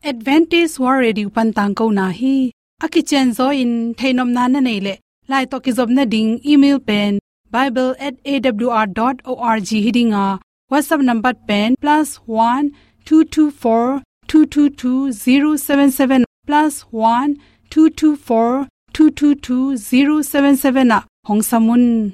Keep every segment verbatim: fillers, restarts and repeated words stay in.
Adventist World Radio pan tangkona hi. A kicianzaw in theihnopna na neih leh, lai tawh kizopna ding email pen bible at A W R dot org hi ding a, WhatsApp number pen plus one two two four two two two zero seven seven, plus one two two four two two two zero seven seven ah hong sam un.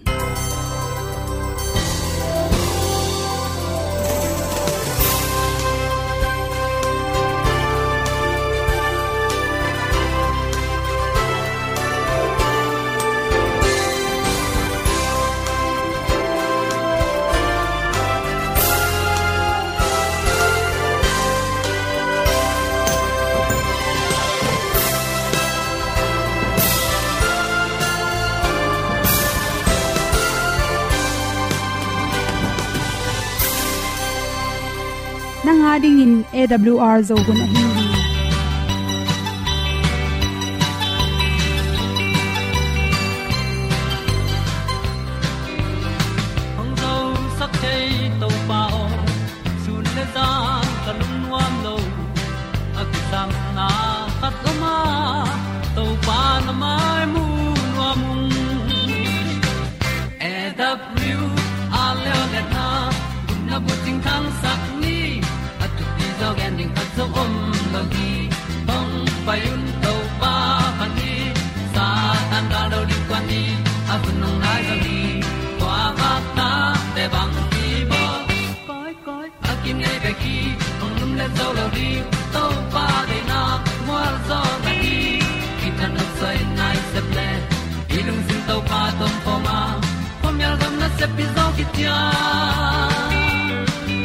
Nang a dingin A W R Zo hun ahi hi. Hong zosak thei Topa aw, sun le zan ka lungnuam lo. A kisapna khat om a, Topa na mai mu nuam ung. A W R Leo le na, na bucing thangsak ni, a thupi zaw gen ding khat zong om lo hi. Hong pai un Topa phat ni, Satan gal do ding kuan ni, a hun hong nai zaw hi. Kua vak ta te bang hi bawl. Koi, koi, a kinei bek hi, hong lum le zo lo ding, Topa deihna mual zaw na hi. Kitang nok soi nai sep le, i lungsim Topa tawh om khawm a, khuamial gam nasep pi zaw kician.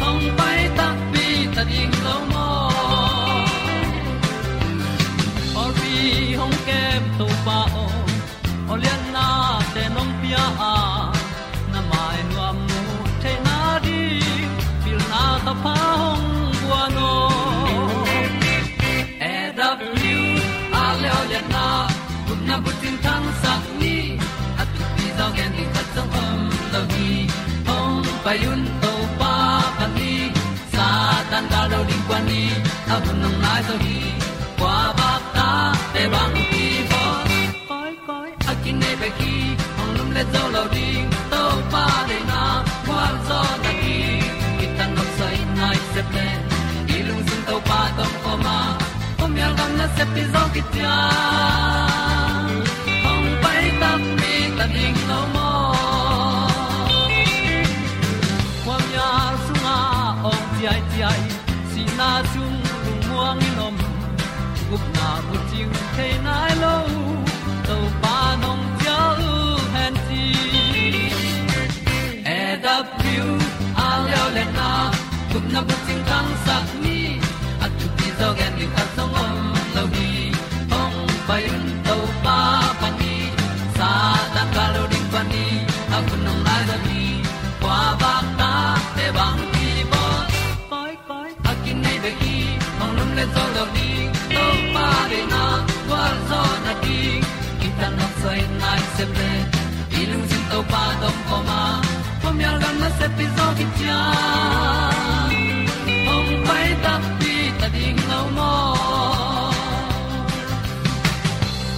Hong pai takpi ta ding lo maw. Pawlpi hong kem Topa aw, aw lianna te nong pia a, na mai nuam mu theihna ding, pilna thapha hong guan aw. A W R Leo le na, gupna bucing thangsak ni, a thupi zaw gen ding khat zong om lo hi. Hong pai un Topa phat ni, Satan gal do ding kuan ni, a hun hong nai zaw hi. Kua vak ta te bang hi bawl. Koi, koi, a kinei bek hi, hong lum le zo lo ding, Topa deihna mual zaw na hi. Kitang nok soi nai sep le, i lungsim Topa tawh om khawm a, khuamial gam nasep pi zaw kician. Hong pai takpi ta ding lo maw. Khuamial sungah awng ciaiciai, sihna sung lungmuang in om, gupna bucing thei nai lo, Topa nong cial hen ci. A W R Leo le na, gupna bucing thangsak ni, a thupi zaw gen ding khat zong om lo hi. Hong pai un Topa phat ni, Satan gal do ding kuan ni, a hun hong nai zaw hi. Kua vak ta te bang hi bawl. Koi, koi, a kinei bek hi, hong lum le zo lo ding, Topa deihna gual zaw na ding. Kitang nok soi nai sep le, i lungsim Topa tawh om khawm a, khuamial gam nasep pi zaw kician. Hong pai takpi ta ding lo maw.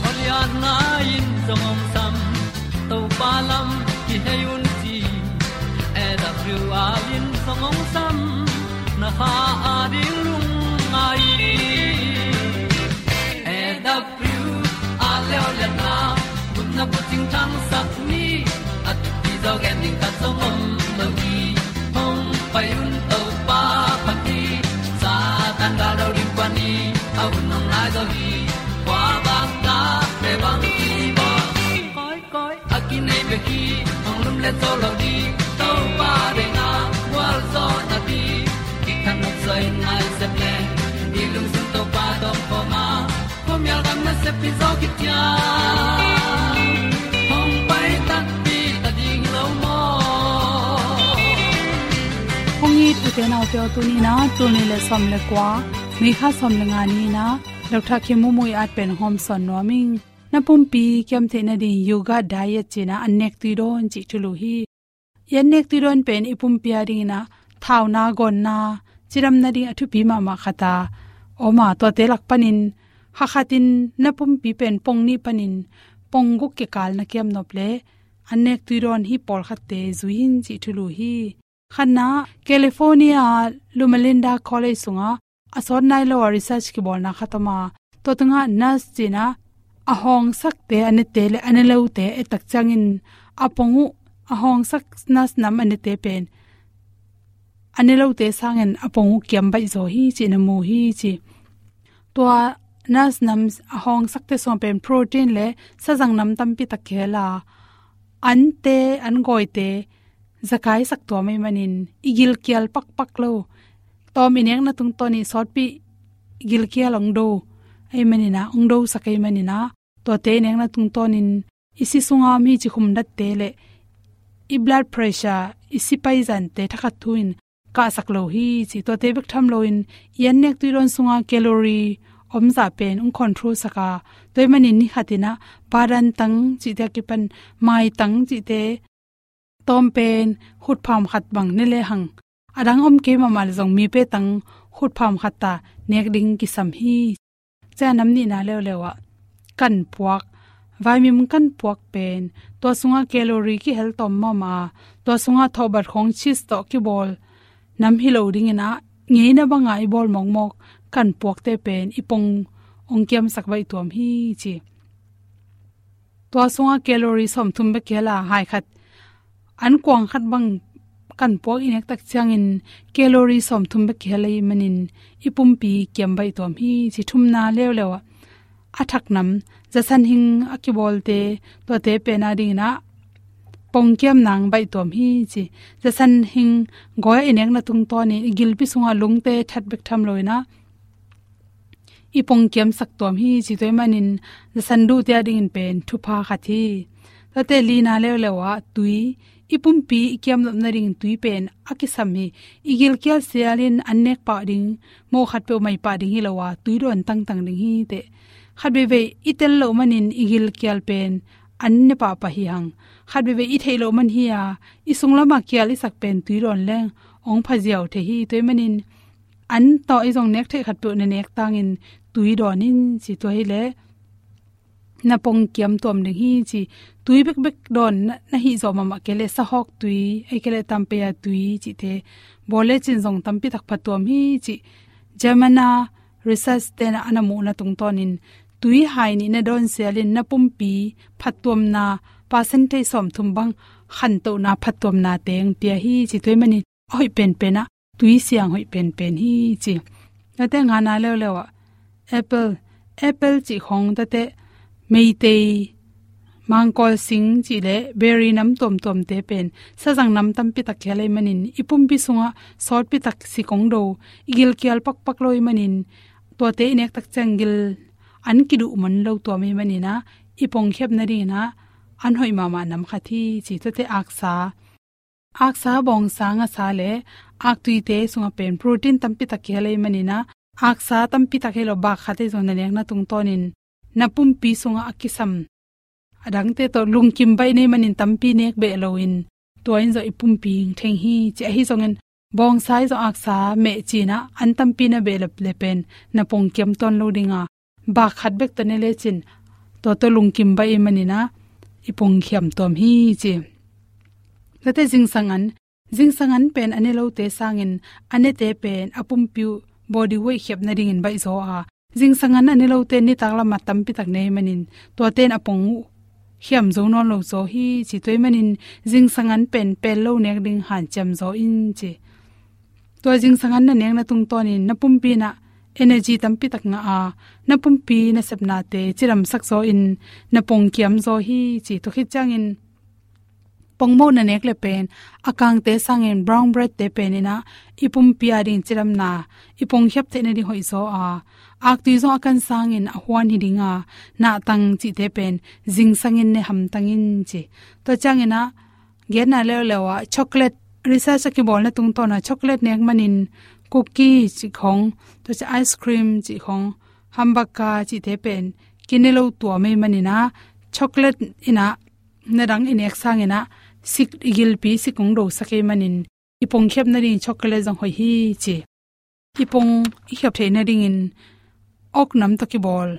Aw lianna in zong hong sam, Topa lam kihei un ci. A W R in zong hong sam, na kha a ding lungngai. A W R Leo le na, gupna bucing thangsak ni, a thupi zaw gen ding khat zong om lo hi. Hong pai un Topa phat ni, Satan gal do ding kuan ni, a hun hong nai zaw hi. Kua vak ta te bang hi bawl. Koi, koi, a kinei bek hi, hong lum le zo lo ding, Topa deihna gual zaw na ding. Kitang nok soi nai sep le, i lungsim Topa tawh om khawm a, khuamial gam nasep pi zaw kician. Hong pai takpi ta ding lo maw. Hong it u te nau te aw, tuni in ah, tul nih le sawm le kua, May kha sawm le nga ni in ah, Doctor Khin Mung Mui at pen hong hawmsawn nuam ing. Na pumpi kiam theih nading yoga diet ci in ah, an nek tui dawn cih thulu hi. I an nek tui dawn pen i pumpi a ding in ah, thauna, gawnna, cidam nading a thupi mahmah khat a, om a, tuate lak panin hakhatin na pumpi pen pong nih panin pong guk kikal na kiam nop leh an nek tui dawn hi pawlkhatte zui in cih thulu hi. Khatna, California Loma Linda College sungah a sawt nai lo a research kibawlna khat om a, tua tungah nurse cih in a hawngsakte a nete leh a ne lote et tak ciangin a pong uh, a hawngsak nurse nam a nete pen a ne lote sangin a pong uh kiam baih zaw hi cih na mu hi ci. Tua nurse nam a hawngsakte sungah pen protein leh sazang nam tampi tak kihel a, ante, an gawite zakaisak tuam ahih manin i gilkial pakpak lo. Tawm i nekna tungtawn i sawtpi gilkial hong do ahih manin a, hong dosak ahih manin a, tuate i nekna tungtawnin i si sunga om hi ci khumdatte leh i blood pressure, i si paizante thakhat thu in kahsak lo hi ci. Tuate bek tham loin i an nek tui dawn sunga calorie omzah pen hong control sak a, tua ahih manin ni khatin a badan tang cihte a kipan maitang cihte tawm pen khutpham khat bang ne lehang, a dang om kei mahmah leh zong mipe tang khutpham khat ta nek ding kisam hi. Tua nam nihna leuleu ah kanpuak, vaimim kanpuak pen tua sungah calorie kihel tawm mahmah a, tua sungah thawhbat khawng, cheese tawh kibawl nam hi lo dingin a, ngeina banga i bawl mawkmawk kanpuakte pen i pong hong kiamsak baih tuam hi ci. Tua sungah calorie sawmthum bek kihel a, hai khat an kuang khat bang kanpuak i nek tak ciangin calorie sawmthum bek kihel ahih manin i pumpi kiam baih tuam hi ci. Thumna leuleu ah a thak nam, zasan hing a kibawlte, tuate pen a dingin a pong kiam nang baih tuam hi ci. Zasan hing gawi a i nekna tungtawnin i gilpi sungah lungte that bek tham loin a, i pong kiamsak tuam hi ci. Tua ahih manin zasan duhte a dingin pen thupha khat hi. Tuate lina leuleu ah tui, i pumpi i kiam nop nading tui pen a kisam hi. I gilkial sialin an nek pah ding, mawh khat peuh mai pah ding hi lo a, tui dawn tangtang ding hi teh. Khat veivei i tel loh manin i gilkial pen an ne pahpah hi hang. Khat veivei i theih loh man hi a, i sunglam a kial i sak pen tui dawn leng hong phaziau thei hi. Tua ahih manin an tawh i zong nek theih khat peuh na nek tangin tui dawn in ci. Tua hileh na pong kiam tuam ding hi ci. Tui bekbek dawn na, na hih zawh mahmah kei leh sahawk tui, ahih kei leh tampeia tui cihte bawl lecin zong tampi tak pha tuam hi ci. German a research te'n a na muhna tungtawnin tui hai nih na dawn sialin na pumpi phattuamna percentage sawmthum bang khantohna phattuamna teng pia hi ci. Tua ahih manin a hoih penpen ah tui siang hoih penpen hi ci. Tuate ngana leuleu ah apple, apple cih khawng, tuate meitei mangkawl sing cih leh berry nam tuamtuamte pen sazang nam tampi tak kihel ahih manin i pumpi sungah sawtpi tak sik hong do, i gilkial pakpak lo ahih manin tuate i nek tak ciang gil an kiduh man lo tuam ahih manin a, i pong khiap nadingin a an hoih mahmah nam khat hi ci. Tuate aksa, aksa, bawngsa, ngasa leh aktuite sungah pen protein tampi tak kihel ahih manin a, aksa tampi tak hi lo, bak khat ahi zong na nekna tungtawnin na pumpi sungah a kisam, a dangte tawh lungkim baih na hih manin tampi nek beh loin tua in zong i pumpi theng hi ci. Ahi zongin bawngsa ahi zong aksa meh ci-in a an tampi na behlap leh pen na pong kiam tuan lo ding a, bak khat bek tawh ne lecin tua tawh lungkim baih ahih manin a i pong khiam tuam hi ci. Tuate zingsang an, zingsang an pen a ne lote sangin a nete pen a pumpi uh body weight khiap nadingin baih zaw a, zingsang an a ne lote nitak lamah tampi tak ne ahih manin tuate in a pong uh khiam zo nawn lo zaw hi ci. Tua ahih manin zingsang an pen pel lo nek ding hanciam zaw in ci. Tua zingsang an na nekna tungtawnin na pumpi in a energy tampi tak ngah a, na pumpi nasepnate cidamsak zaw in na pong kiam zaw hi ci. Tua khit ciangin pongmoh na nek leh pen a kangte sangin brown bread te pen in a i pumpi a ding cidamna, i pong khiap theih nading hoih zaw a, aktui zong a kan sangin a huan hi ding a, nahtang cihte pen zingsang in ne hamtang in ci. Tua ciangin a genna leuleu ah chocolate, research a kibawlna tungtawn a chocolate nek manin cookie cih khawng, tua ciang ice cream cih khawng, hamburger cihte pen kine lo tuam ahih manin a, chocolate in a na dang i nek sangin a sik, i gilpi sik hong dosak ahih manin i pong khiap nading chocolate zong hoih hi ci. i pong i khiap theih nadingin ok nam tawh kibawl,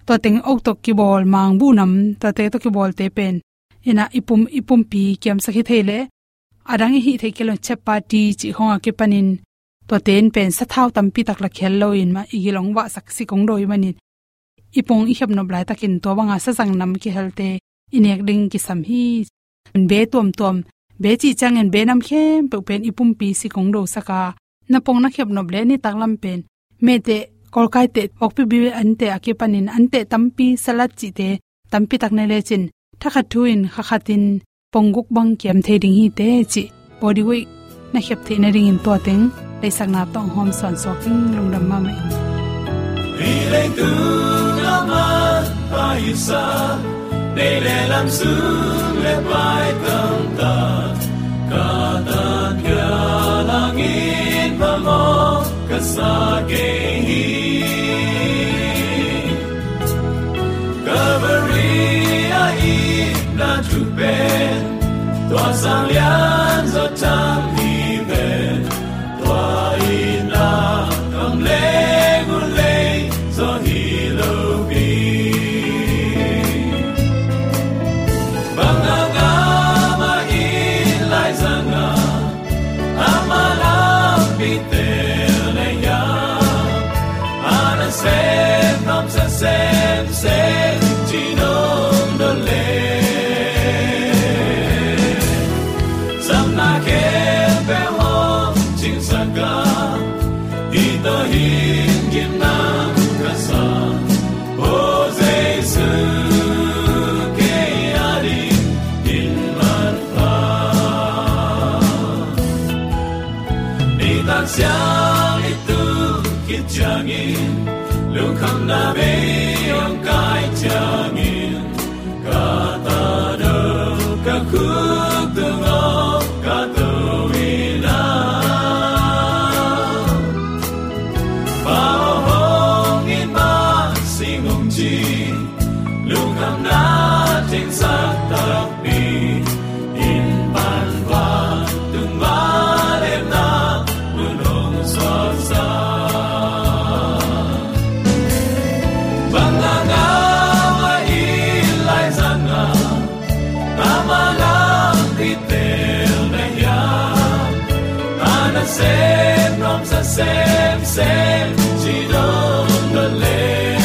tua teng ok tawh kibawl, mangbuh nam, tuate tawh kibawlte pen, ina i pum, i pumpi kiamsak hi thei leh, a dang i hih theih kei lo, chapati cih khawng a kipanin, tuate in pen sathau tampi tak la khel loin mah, i gil hong vahsak sik hong do ahih manin, i pong i khiap nop laitakin tua banga sazang nam kihelte i nek ding kisam hi. Be tuamtuam, be cih ciangin be nam khempeuh pen i pumpi sik hong dosak a, na pong na khiap nop leh nitak lam pen, mehteh, kawlkaiteh, pork pipi anteh a kipanin anteh tampi, salad cihte tampi tak ne lecin, thakhat thu in kha khatin pong guk bang kiam thei ding hi teh cih body weight na khiap theih nadingin tua teng deihsakna tawh hong hawm sawnsuak ing. Lungdam mahmah ing. Hih leitung a manpha hisa, nei le lam sung le pai tamtak, ka tat khia langin phamawh ka sa kei hi. Calvary a itna thu pen, tua sang lian zaw thang hi pen, tua itna kam leng uh lei zaw hi lo pi. Bang a ngam a it lai zang a, ama lampi tel na hiam, a nasem nuamsa semsem ci nong dot leh, zamna khempeuh hong cingsak a, hih tawh hin gimna ka sa, O Jesu, kei a dingin manpha. Nitak siang i tun khit ciangin, lungkhamna bei hong kai ciangin, ka ta do, ka khuk tung aw, ka to in a, Pa aw hong it mah sing hong ci, lungkhamna cingsak takpi in, pan vantung vangliatna mun hong suaksak. Bang a ngam a it lai zang a, ama lampi tel na hiam, a nasem nuamsa semsem ci nong dot leh,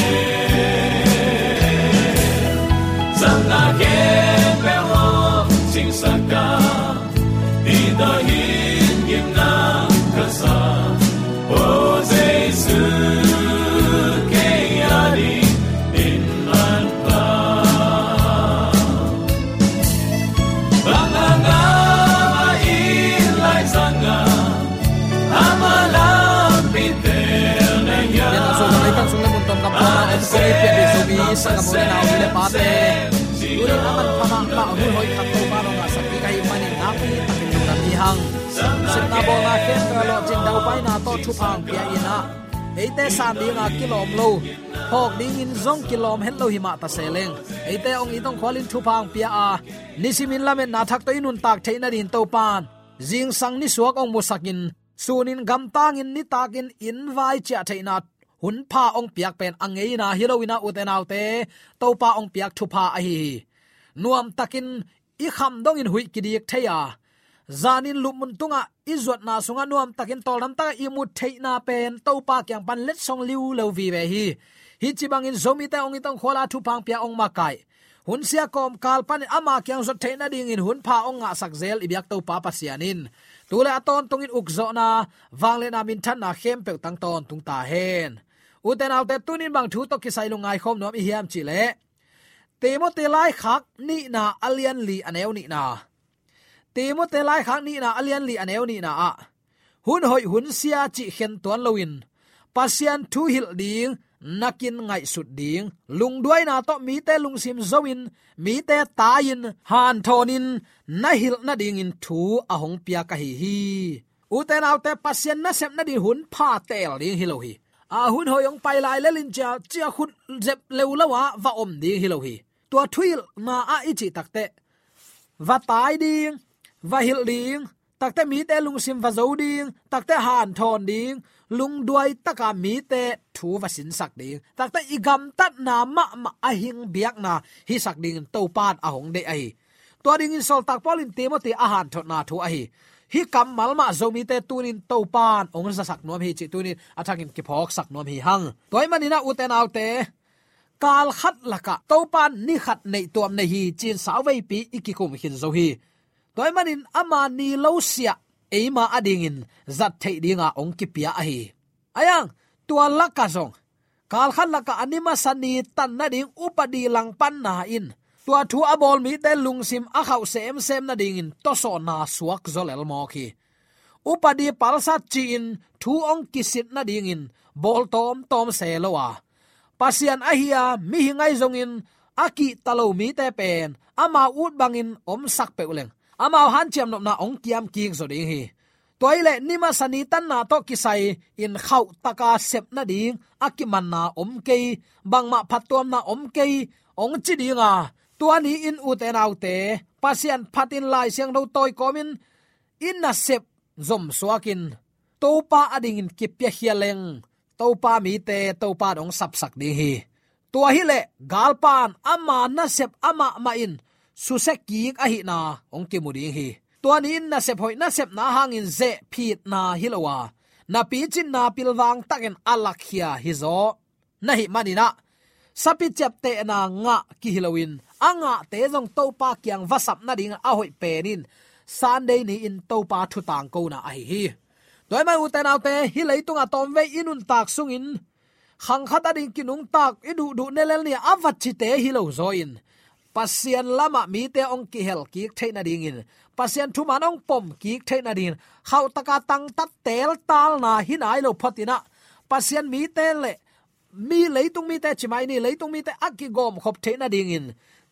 zamna khempeuh hong cingsak a, hih tawh hin gimna ka sa, O Jesu, kei a dingin manpha. Bang a ngam a it lai zang a, ama lampi tel na hiam. Tua sung a, ei tan sung le mun tuam gam tuam a om kong ei piak ding Zomi sanggamnu le pate, tuni a manpha mahmah hun hoih khat Topa nong ngahsak ding ahih manin nakpi takin lungdam hi hang. Sepna bawlna khempeuh a lawhcin daupaina tawh thupha hong pia in a, eite san dinga kilawm lo, phawk dingin zong kilawm het lo hi mah ta se leng, eite hong it hong khualin thupha hong pia a, nisimin lametna thak tawh i nuntak theih nadingin Topa'n zingsang nisuak hong musakin, sunin gamtangin nitakin inn vai ciah theihna hunpha hong piak pen a ngeina hi lo in a, ute naute, Topa hong piak thupha ahi hi. Nuamtakin i kham dongin huih kidik thei a, zanin lupmun tungah i zuatna sungah nuamtakin tawldam takah i mut theihna pen Topa kiang pan letsong liulo vive hi. Hih ci bangin Zomite hong it hong khual a, thupha hong pia, hong makaih, hun sia kawmkal panin ama kiang zuat theih nadingin hunpha hong ngahsak zel i biak Topa Pasian in tu le a tawntungin ukzawhna, vangliatna, minthanna khempeuh tang tawntung ta hen. Ute naute, tunin bang thu tawh kisai lungngai khawm nuam i hiam cih leh, Timoti laikhak nihna a lian li a neu nihna. Timoti laikhak nihna a lian li a neu nihna ah, hun hoih hun sia cih khen tuan loin, Pasian thu hilh ding nakin ngaihsut ding, lungduaina tawh mite lungsim zo-in, mite tai-in, hanthawnin na hilh nadingin thu a hong piak ahi hi. Ute naute, Pasian nasep nading hunpha teel ding hi lo hi. A hun hoih hong pai lai lel in cia, cia khut zep leu lo a va om ding hi lo hi. Tua thuhilhna ah i cih takteh, va tai ding, va hilh ding, takteh mite lungsim va zo ding, takteh hanthawn ding, lungduai taka mite thu va sinsak ding, takte i gamtatna mahmah a hing biakna hisak dingin Topa in a hong deih ahi. Tua dingin sawltak Paul in Timothy a hanthotna thu ahi. Hih kammal mah Zomite tunin Topa in hong zasak nuam hi cih tunin a thakin kiphawksak nuam hi hang. Tua ahih manin ah, ute naute, kal khat lakah Topa in ni khat neih tuam nei hi ci-in sauveipi i kikum khin zo hi. Tua ahih manin ama ni lo siah eima adingin zat theih dinga hong kipia ahi. Ahi hang, tua lakah zong kal khat lakah a ni masa ni tan nading upadi langpanna in tua thu a bawl mite lungsim a khauh semsem nadingin tawsawnna suak zaw lel mawk hi. Upadi palsat ci-in thu hong kisit nadingin bawl tawmtawm se lo a, Pasian ahi a mihing ahi zongin a kihta lo mite pen amau ut bangin omsak peuh leng, amau hanciam nopna hong kiam kik zaw ding hi. Tua hileh ni masa ni tanna tawh kisai-in khauh taka sep nading a kimanna om kei, bangmah phattuamna om kei hong ci dinga, tua ni-in, ute naute, Pasian phatin Lai Siangtho tawi kawmin i nasep zomsuakin Topa adingin kipiakhia leng, Topa mite Topa in hong sapsak ding hi. Tua hileh galpa in ama nasep amah mah in susia kik ahihna hong kimu ding hi. Tua ni-in nasep hoih nasepna hangin zehphitna hi lo a, na picinna pilvang takin a lakkhia hi zaw. Na hih manin ah, sapi ciaptehna ngah kihi loin a ngahte zong Topa kiang va sap nadingin a hoih pen in Sunday ni-in Topa thu tangkona ahi hi. Tua ahih manin, ute naute, hih leitungah tawmvei i nuntak sungin khang khat ading kinungtak i duhduh ne lel ni a va cite hi lo zaw-in, Pasian lamah mite hong kihel kik theih nadingin, Pasian thuman hong pom kik theih nadingin, khauhtaka tangtat teltalna hi nai lo photin ah, Pasian mite le mi, leitung mite ci mai ni, leitung mite a kigawmkhop theih nadingin,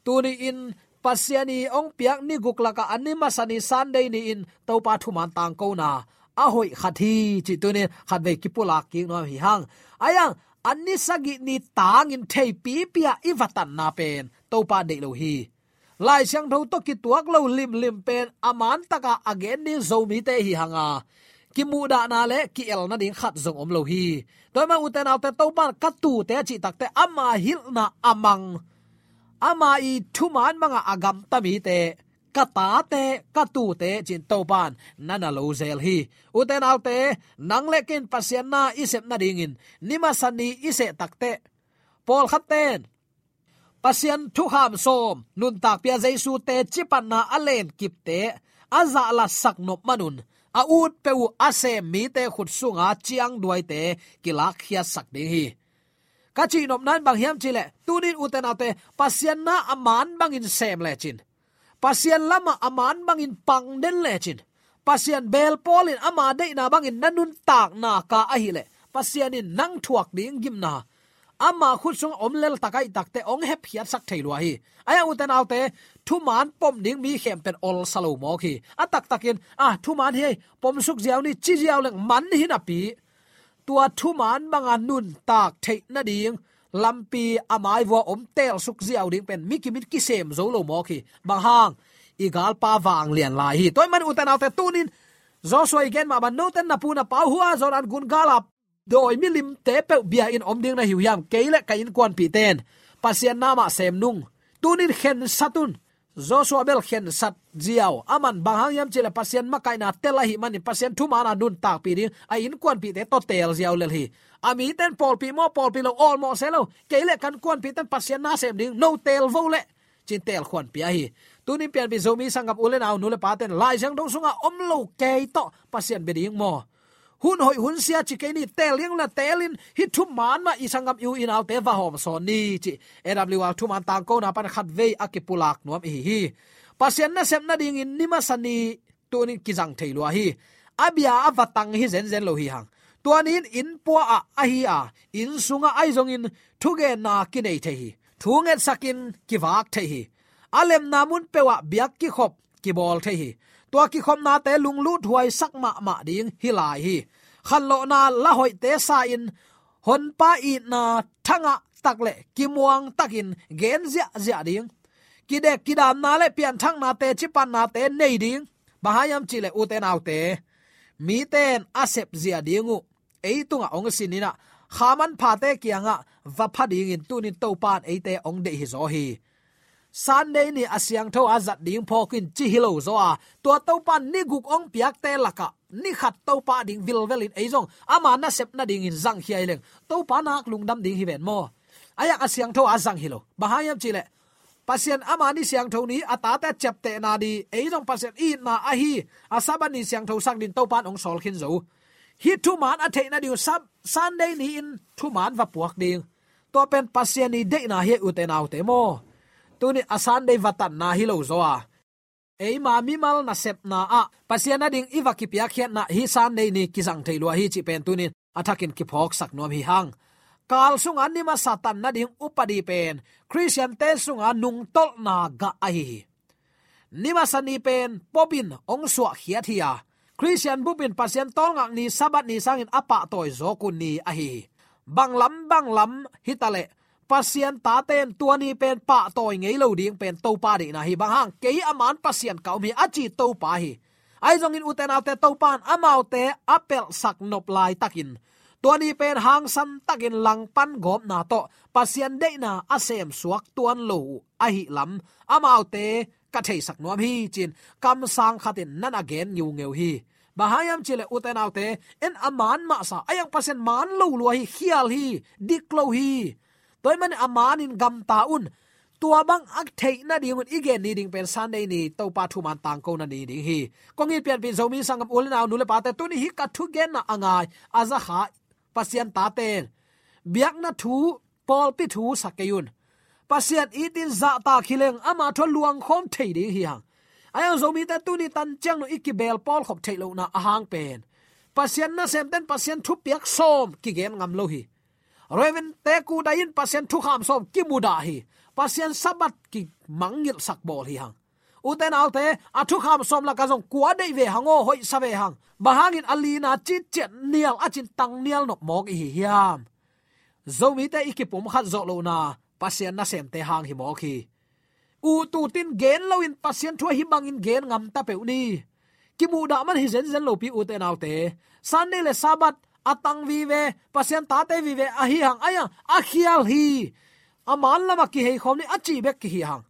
tuni-in Pasian i hong piak ni guk lakah a ni masa ni Sunday ni-in Topa thuman tangkona a hoih khat hi cih tuni-in khatvei kipulak kik nuam hi hang. Ahi hang, a ni sagih ni tangin theipipi ah i va tanna pen Topa deih lo hi. Lai Siangtho tawh kituak lo limlim pen a man taka a gen ding Zomite hi hang a, kimuhdahna le ki-el nading khat zong om lo hi. Tua ahih manin, ute naute, Topa in ka tuute a cih takte ama hilhna a mang, ama i thuman banga a gamta mite, ka tate, ka tuute ci-in Topa in na na lo zel hi. Ute naute, nang le kei in Pasian na i sep nadingin ni masa ni i seh takte, pawlkhatte in Pasian thukham sawm, nuntakpia Jesu teci panna a lenkipte a zahlatsak nop manun, a ut peuh uh a sem mite khut sunga ciangduaite kilakkhiatsak ding hi. Ka cihnopna in bang hiam cihleh, tuni-in, ute naute, Pasian na a man bangin sem lecin, Pasian lamah a man bangin pang den lecin, Pasian beel pawlin ama deihna bangin na nuntakna ka ahileh, Pasian in nang thuak ding gimna ama khut sungah om lel tak ahih takte hong hepkhiatsak thei lua hi. Ahi hang, ute naute, thuman pom ding mi khempeuh in olsa lo mawk hi. A taktakin, a, thuman hi, pom suk ziau ni, ci ziau leng man hi napi, tua thuman banga nuntak theih nading lampi a maivua om teel suk ziau ding pen mi kim in kisem zo lo mawk hi. Bang hang? I galpa vanglian lai hi. Tua ahih manin, ute naute, tuni-in Joshua i gen mah bang, note in na pu na pa uh, hua Jordan gun gala dawi milimte peuh bia-in om ding na hi uh hiam? Kei le ka innkuanpihte in Pasian na mah sem nung. Tuni-in khensat un. Joshua bel khensat ziau. Aman bang hang hiam cihleh, Pasian makaihna tel ahih manin Pasian thumana nuntakpih ding a innkuanpihte tawh teel ziau lel hi. A mite in pawlpih maw, pawlpih lo, awlmawh se lo, kei le ka innkuanpihte in Pasian na sem ding, no teel vo leh, ci-in teelkhuan pia hi. Tuni-in pianpih Zomi sanggam u le nau, nu le pate in Lai Siangtho sunga om lo kei tawh Pasian bia ding maw? Hun hoih hun sia ci kei ni, teel ding la teelin, hih thuman mah i sanggam, i u i naute va hawmsawn ni, ci A W R thuman tangkona pan khatvei a kipulak nuam i hi hi. Pasian nasep nadingin ni masa ni tuni-in kizang thei lua hi. A bia a va tang hi zenzen lo hi hang. Tua ni-in inn pua ah ahi a, inn sungah ahi zongin thugenna kinei thei hi. Thu ngetsakin kivak thei hi. A lemna mun peuh ah biak kikhop kibawl thei hi. Tua kikhopnate lunglut huaisak mahmah ding hi lai hi. Khanlawhna la hoihte sa-in honpa itna thangah tak le kimuang takin gen ziahziah ding. Kidek kidamna le pianthakna teci pannate nei ding. Bang hang hiam cihleh, ute naute, mite in a sepzia ding uh ei tungah hong sin in ah, kha manphate kiangah va pha dingin tuni-in Topa in eite hong deih hi zaw hi. Sunday ni a siangtho a zat ding phawk in ci hi lo zaw a, tua Topa in ni guk hong piakte lakah ni khat Topa ading vilvelin ei zong ama nasep nadingin zangkhia hi leng Topa nak lungdam ding hi ven maw. Ahi hang a siangtho a zang hi lo. Bang hang hiam cih leh Pasian ama ni siangtho ni a tate a ciaptehna ding, ei zong Pasian i itna ahi a Sabbath ni siangtho sak dingin Topa in hong sawl khin zo. Hih thuman a theih nading uh Sab-, Sunday ni-in thuman va puak ding. Tua pen Pasian i deihna hi, ute naute maw. Tuni a Sunday va tanna hi lo zaw a, eima mimal nasepna ah Pasian ading i va kipiakkhiatna hih Sunday ni kizang thei lua hi cih pen tuni-in a thakin kiphawksak nuam hi hang. Kal sunga ni masa tan nading upadi pen Khristiante sunga nungtolhna gah ahi hi. Ni masa ni pen Pope in hong suahkhiat hi a, Khristian bup in Pasian tawlngak ni Sabbath ni sangin a pahtawi zawk uh ni ahi hi. Bang lam bang lam hi ta leh Pasian tate in tua ni pen pahtawi ngei lo ding pen Topa deihna hi. Bang hang, kei a man Pasian ka um hi a ci Topa hi. Ahi zongin ute naute, Topa in amaute a pelhsak nop laitakin tua ni pen hangsan takin langpan gawpna tawh Pasian deihna a semsuak tuan lo uh ahih lam amaute ka theisak nuam hi ci-in kamsang khatin na na gen ngiungeu hi. Bang hang hiam cih leh ute naute, en a man mahsa, ahi hang Pasian man lo lua hi, khial hi, dik lo hi. Tua ahih manin a manin gamta un. Tua bang a theih nadingun i gen ni ding pen Sunday ni Topa thuman tangkona ni ding hi. Kong it pianpih Zomi sanggam u le nau, nu le pate, tuni hih ka thugenna a ngai a zakha Pasian tate in biakna thu, pawlpi thu sa kei un. Pasian itin zahtak hi leng ama thu a luangkhawm thei ding hi hang. Ahi hang Zomite tuni tan ciang nung i kibeel pawlkhop theih lohna a hang pen Pasian nasemte in Pasian thupiak sawm kigen ngam lo hi. Reverend te kudai in Pasian thukham sawm kimudah hi. Pasian Sabbath kimangngilhsak bawl hi hang. Ute naute, a thukham sawm lakah zong kua deih ve hang aw, hoihsa ve hang. Bang hangin a lina citciat nial a cin tang nial nop mawk i hi hiam? Zomite i kipumkhat zawh lohna Pasian nasemte hang hi mawk hi. Ut utin gen loin Pasian thu ahi bangin gen ngam ta peuh ni. Kimuhdah man hi zenzen lopi, ute naute. Sunday le Sabbath a tang vive, Pasian tate vive ahi hang, ahi hang a khial hi. A man lamah kiheikhawm ni a ci bek kihi hang.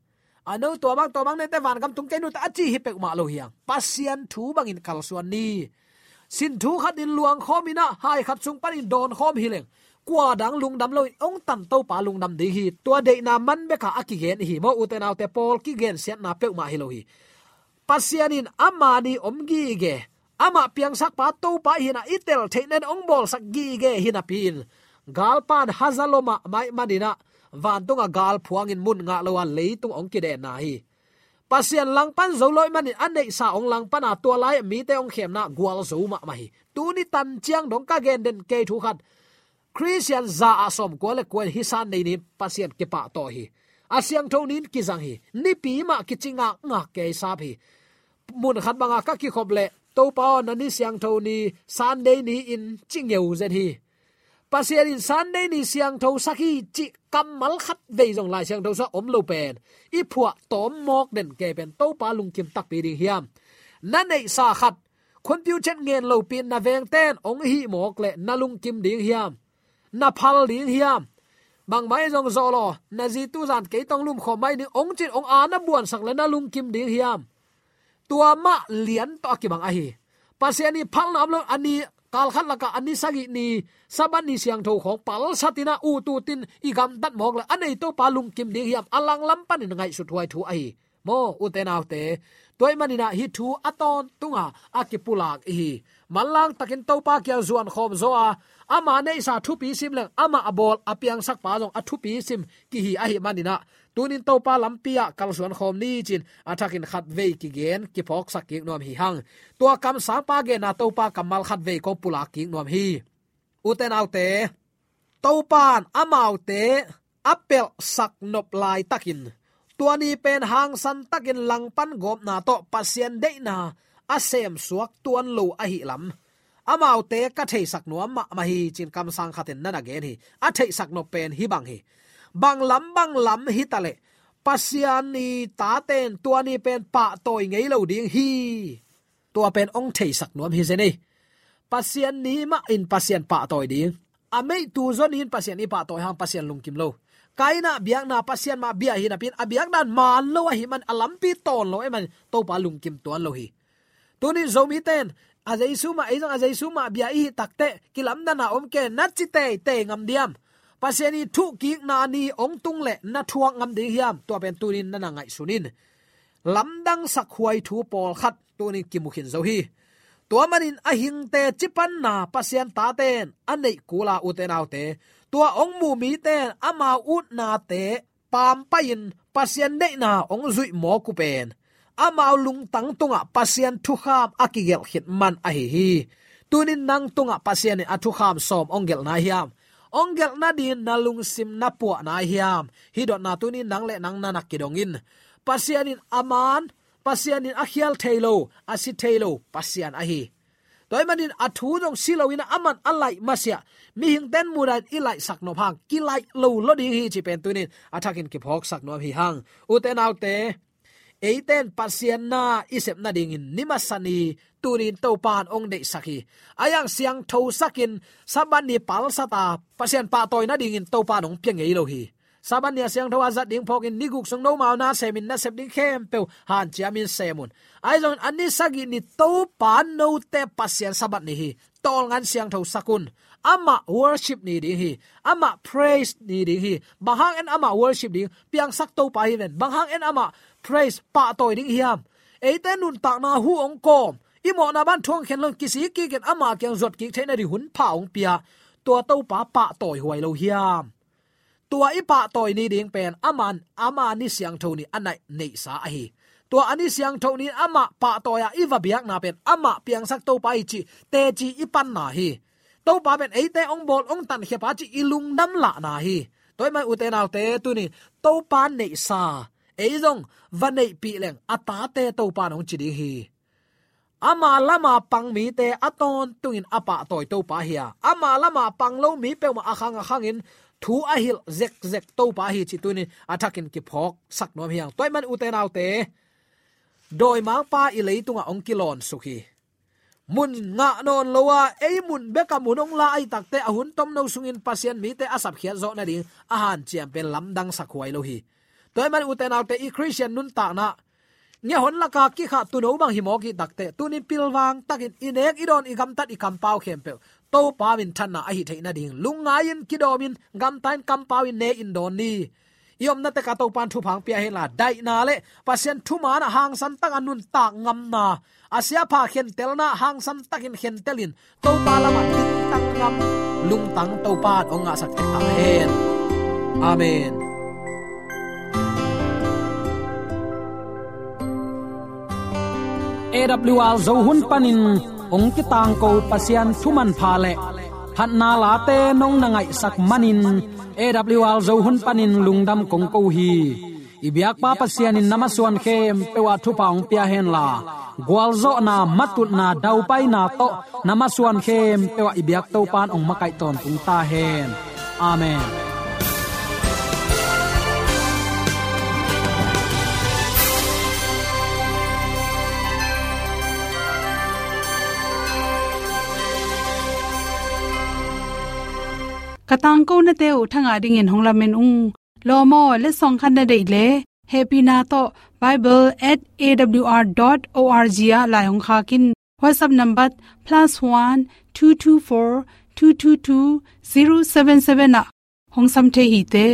A no, tua bang, tua bang neite vangam tung kei nute a ci hi peuhmah lo hi hang. Pasian thu bangin kalsuan ni. Sin thu khatin luangkhawm in ah, hai khat sung panin dawnkhawm hi leng kua dang lungdam loin hong tan Topa lungdam ding hi. Tua deihna man bekah a kigen i hi maw, ute naute, pawl kigensiatna peuhmah hi lo hi. Pasian in ama ni om gige, amah piangsakpa Topa ihina i tel theih nadin hong bawlsak gige hi napi-in galpa'n haza lua mahmah ahih manin ah vantungah gal phuangin mun ngah lo a leitung hong kidenna hi. Pasian langpan zo lo ahih manin a neihsa hong langpan a, tua lai-ah mite hong khemna gualzo mahmah hi. Tuni tan ciang dong ka gen den kei thu khat, Khristian za ah sawmkua le kua in hih Sunday ni Pasian kipahtawi hi. A siangtho ni-in kizang hi. Nipi mah kici ngakngak kei sap hi. Mun khat bangah ka kikhop leh, Topa aw, na ni siangtho ni, Sunday ni-in ci ngeu zet hi. Pasian in Sunday ni siangtho sak hi cih kammal khat vei zong Lai Siangtho sungah om lo pen i phuah tawm mawk den kei pen Topa lungkim takpi ding hiam? Na neihsa khat, khunpiu chet ngen lopi-in na vengte in hong hih mawk leh na lungkim ding hiam? Na phal ding hiam? Bangmah hi zong zawh law, na zi tu zan kei tawh lumkhawm mai ning hong ci-in hong a na buansak leh na lungkim ding hiam? Tua mah lian tawh a kibang ahi. Pasian i phalna om lo, a ni, kal khat lakah a ni sagih ni, Sabbath ni siangtho khawng palsat in ah, ut utin i gamtat mawk leh a nei Topa lungkim ding hiam? A langlam panin ngaihsut huai thu ahi. Maw, ute naute, tua ahih manin ah hih thu a tawntunga a kipulak i hi. Manlang takin Topa kiang zuan khawm zaw a, ama neihsa thupi sim leng, amah a bawl a piangsakpa zong a thupi sim kihi ahih manin ah, tuni-in Topa lampi ah kalsuan khawm ni ci-in a thakin khatvei kigen kiphawksak kik nuam hi hang. Tua kamsangpa genna Topa kammal khatvei kong pulak kik nuam hi. Ute naute, Topa in amaute a pelhsak nop laitakin tua ni pen hangsan takin langpan gawpna tawh Pasian deihna a semsuak tuan lo ahih lam amaute ka theisak nuam mahmah hi ci-in kamsang khatin na na gen hi. A theihsak nop pen hih bang hi. Bang lam bang lam hi ta leh Pasian i tate in tua ni pen pahtawi ngei lo ding hi. Tua pen hong theisak nuam hi zen ei. Pasian ni mah in Pasian pahtawi ding. A meihtu zon in Pasian i pahtawi hang Pasian lungkim lo. Kaina biakna Pasian mah bia hi napi in a biakna man lo ahih man a lampi tawn lo ahih man Topa lungkim tuan lo hi. Tuni Zomite in a Jesu mah, ei zong a Jesu mah bia i hih takteh kilamdanna om kei na ci teitei ngam diam? Pasian i thuhkikna ni hong tung leh na thuak ngam ding hiam? Tua pen tuni in na na ngaihsun in. Lamdang sakhuai thu pawlkhat tuni in kimu khin zo hi. Tua manin a hingte cipanna Pasian tate in a neih kul a, ute naute, tua hong mu mite in amau utnate pampaih in Pasian deihna hong zuih mawk uh pen amau lungtang tungah Pasian thukham a kigelh khit man ahi hi. Tuni in nang tungah Pasian in a thukham sawm hong gelh nai hiam? Hong gelh nadingin na lungsim na puah nai hiam? Hih dotna tuni in nang le nang na na kidong in. Pasian in a man, Pasian in a khial thei lo, a si thei lo Pasian ahi. Tua ahih manin a thu zong si loin a man a laih masiah mihingte in mudan i laihsak nop hang kilaih lo lo ding hi cih pen tuni in a thakin kiphawksak nuam hi hang. Ute naute, eite in Pasian na i sep nadingin ni masa ni tuni in Topa in hong deihsak hi. A yang siangthosak in Sabbath ni palsat a Pasian pahtawi nadingin Topa in hong pia ngei lo hi. Sabbath ni a siangtho a zat ding phawkin ni guk sung nomau na semin na sep ding khempeuh hanciamin sem un. Ahi zongin a ni sagih ni Topa note Pasian Sabbath ni hi. Tawlngan siangthosak un. Amah worship ni ding hi. Amah praise ni ding hi. Bang hang en amah worship ding? Piangsak Topa hi ven. Bang hang en amah praise, pahtawi ding hiam? Eite nuntakna hu hong kawm, i mawhna ban thuang khen lo in kisik kikin ama kiang zuat kik theih nading hun pha hong pia, tua Topa pahtawi huai lo hiam? Tua i pahtawi ni ding pen aman ama ni siangtho ni a naih neihsa ahi. Tua a ni siangtho ni amah pahtawi a i va biakna pen amah piangsak Topa hi cih teci i panna hi. Topa pen eite hong bawl hong tankhia pa cih i lungdam lahna hi. Tua ahih man ute naute tuni Topa neihsa ei zong va neihpih leng a tate Topa in hong ci ding hi. Ama lama pang mite a tawntungin a pahtawi Topa hi a, ama lama pang lo mi peuhmah a khang a khangin thu a hilh zekzek Topa hi cih tuni in a thakin kiphawksak nuam hi hang. Tua ahih man ute naute, dawimangpa i leitungah hong kilawnsuk hi. Mun ngah nawn lo a, ei mun bek a mun hong la ahih takteh a hun tomno sungin Pasian mite a sapkhiat zawh nading a hanciam pen lamdang sakhuai lo hi. Tua ahih man ute naute, i Khristian nuntakna ngiahon laka kikhah tuuno bang hi mawk ahih takteh tuni in pilvang takin i nek i dawn i gamtat i kampau khempeuh Topa minthanna ahi theih nading lungngai-in kidawmin gamta-in kampau-in ne-in dawn ni. I omna tekah Topa in thupha hong pia hen la, daihna le Pasian thuman ah hangsan takin nuntak ngamna, a siapha khentelna hangsan takin khentelin Topa lamah dingtang ngam lungtang Topa in hong ngahsak tek ta hen. Amen. A W R Zo hun panin hong kitangko Pasian thumanpha le phatna late nong na ngaihsak manin A W R Zo hun panin lungdam kong ko hi. I biakpa Pasian in na masuan khempeuh ah thupha hong pia hen la, gualzawhna, matutna, daupaina tawh na masuan khempeuh ah i biak Topa in hong makaih tawntung ta hen. Amen. Ka tangkonate uh thangah dingin hong lamen ung. Lawm aw, letsong khat na deih leh hehpihna tawh bible at A W R dot O R G ah lai hong khak in. WhatsApp number plus one two two four two two two zero seven seven ah hong sam thei hi te.